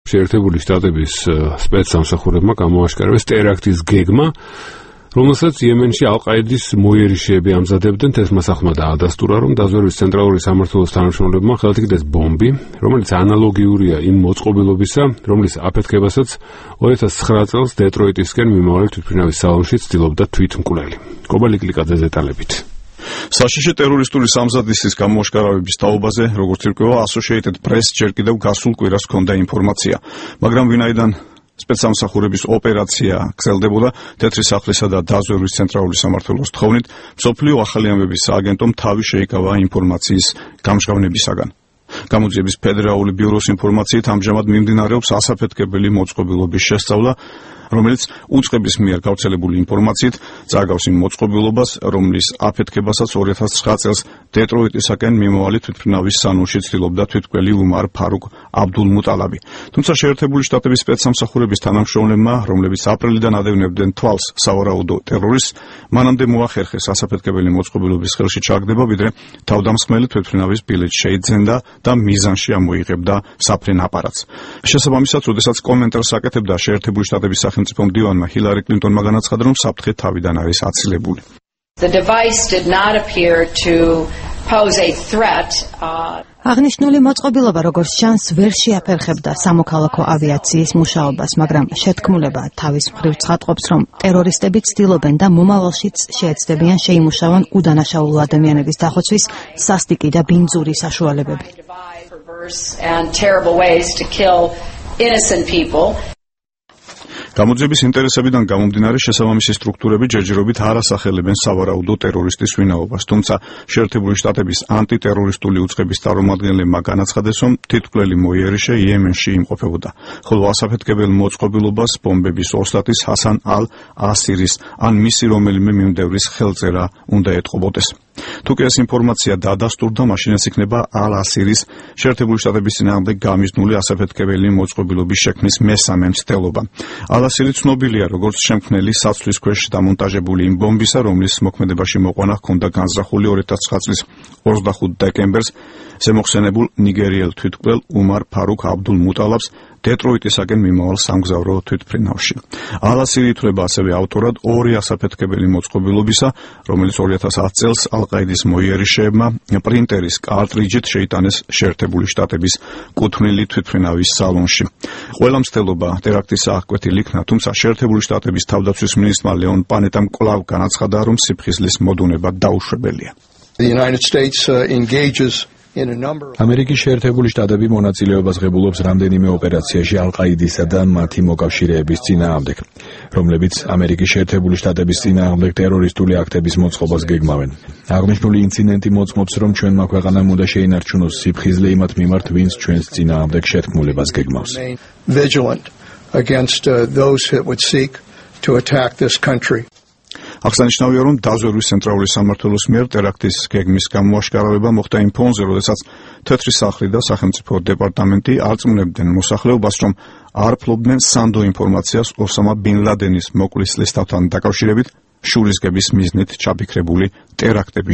შეერთებული შტატების სპეცსამსახურებმა გამოაშკარეს ტერაქტის გეგმა, რომელსაც იემენში ალ-ყაიდის მოიერიშეები ამზადებდნენ. თესმასახმა დაადასტურა, რომ დაზვერვის ცენტრალური სამმართველოს თანამშრომლებმა ხელთ იგდეს ბომბი, რომელიც ანალოგიურია იმ მოწყობილობისა, რომლის აფეთქებასაც 2009 წელს დეტროიტისკენ მიმავალი თვითმფრინავის სალონში ცდილობდა თვითმკვლელი. კობალი კლიკაძე დეტალებით. საშიში ტერორისტული სამზადისის გამოაშკარავების თაობაზე, როგორც ირკვევა, Associated Press ჯერ კიდევ გასულ კვირას ჰქონდა ინფორმაცია, მაგრამ ვინაიდან სპეცსამსახურების ოპერაცია გრძელდებოდა, თეთრი სახლისა და დაზვერვის ცენტრალური სამმართველოს თხოვნით, მსოფლიო ახალი ამბების სააგენტომ თავი შეიკავა ინფორმაციის გამჟღავნებისაგან. გამოძიების ფედერალური ბიუროს ინფორმაციით ამჟამად მიმდინარეობს ასაფეთქებელი მოწყობილობის შესწავლა, რომელიც უწყების მიერ გავრცელებული ინფორმაციით წააგავს იმ მოწყობილობას, რომლის აფეთქებასაც 2009 წელს დეტროიტისაკენ მიმავალი თვითმფრინავის სანონში ცდილობდა თვითმკვლელი უმარ ფარუკ აბდულმუტალაბი. თუმცა შეერთებული შტატების სპეცსამსახურების თანამშრომლებმა, რომლებიც აპრილიდან ადევნებდნენ თვალს სავარაუდო ტერორისტს, მანამდე მოახერხეს ასაფეთქებელი მოწყობილობის ხელში ჩაგდება, ვიდრე თავდამსხმელი თვითმფრინავის ბილეთს შეიძენდა და მიზანში ამოიღებდა საფრენ აპარატს. შესაბამისად, როდესაც კომენტარს აკეთებდა შეერთებული შტატების სახელმწიფო მდივანმა ჰილარი კლინტონმა განაცხადა, რომ საფრთხე თავიდან არის აცილებული. The device did not appear to pose a threat. აღნიშნული მოწყობილობა, როგორც ჩანს, ვერ შეაფერხებდა სამოქალაქო ავიაციის მუშაობას, მაგრამ შეთქმულება თავის მხრივ ცხადყოფს, რომ ტერორისტები ცდილობენ და მომავალშიც შეეცდებიან შეიმუშავონ უდანაშაულო ადამიანების დახოცვის სასტიკი და ბინძური საშუალებები. And terrible ways to kill innocent people. გამოძიების ინტერესებიდან გამომდინარე შესაბამისი სტრუქტურები ჯერჯერობით არ ასახელებენ სავარაუდო ტერორისტის ვინაობას, თუმცა შეერთებული შტატების ანტიტერორისტული უწყების წარმომადგენლებმა განაცხადეს, რომ თვითმკვლელი მოიერიშე იემენში იმყოფებოდა, ხოლო ასაფეთქებელ მოწყობილობას ბომბების ოსტატის ჰასან ალ-ასირის ან მისი რომელიმე მიმდევრის ხელწერა უნდა ეტყობოდეს. თუკი ეს ინფორმაცია დადასტურდა, მაშინაც იქნება ალ-ასირის შეერთებული შტატების წინააღმდეგ გამიზნული ასაფეთქებელი მოწყობილობის შექმნის მესამე მცდელობა. ალ-ასირი ცნობილია, როგორც შემქმნელი საცვლის ქვეშ დამონტაჟებული იმ ბომბისა, რომლის მოქმედებაში მოყვანა ჰქონდა განზრახული 2009 წლის 25 დეკემბერს ზემოხსენებულ ნიგერიელ თვითმკვლელ უმარ ფარუკ აბდულმუტალაბს დეტროიტისაკენ მიმავალ სამგზავრო თვითმფრინავში. ალ-ასირი ითვლება ასევე ავტორად ორი ასაფეთქებელი მოწყობილობისა, რომელიც 2010 წელს ალ-ყაიდის მოიერიშეებმა პრინტერის კარტრიჯით შეიტანეს შეერთებული შტატების კუთვნილი თვითმფრინავის სალონში. ყველა მცდელობა ტერაქტის აღკვეთილ იქნა, თუმცა შეერთებული შტატების თავდაცვის მინისტრმა ლეონ პანეტამ კვლავ განაცხადა, რომ სიფხიზლის მოდუნება დაუშვებელია. ამერიკის შეერთებული შტატები მონაწილეობას ღებულობს რამდენიმე ოპერაციაში ალ-ყაიდისა და მათი მოკავშირეების წინააღმდეგ, რომლებიც ამერიკის შეერთებული შტატების წინააღმდეგ ტერორისტული აქტების მოწყობას გეგმავენ. აღნიშნული ინციდენტი მოწმობს, რომ ჩვენმა ქვეყანამ უნდა შეინარჩუნოს სიფხიზლე იმათ მიმართ, ვინც ჩვენს წინააღმდეგ შეთქმულებას გეგმავს. აღსანიშნავია, რომ დაზვერვის ცენტრალური სამმართველოს მიერ ტერაქტის გეგმის გამოაშკარავება მოხდა იმ ფონზე, როდესაც თეთრი სახლი და სახელმწიფო დეპარტამენტი არწმუნებდნენ მოსახლეობას, რომ არ ფლობდნენ სანდო ინფორმაციას ოსამა ბინ ლადენის მოკვლის ლისტავთან დაკავშირებით შურისგების მიზნით ჩაფიქრებული ტერაქტების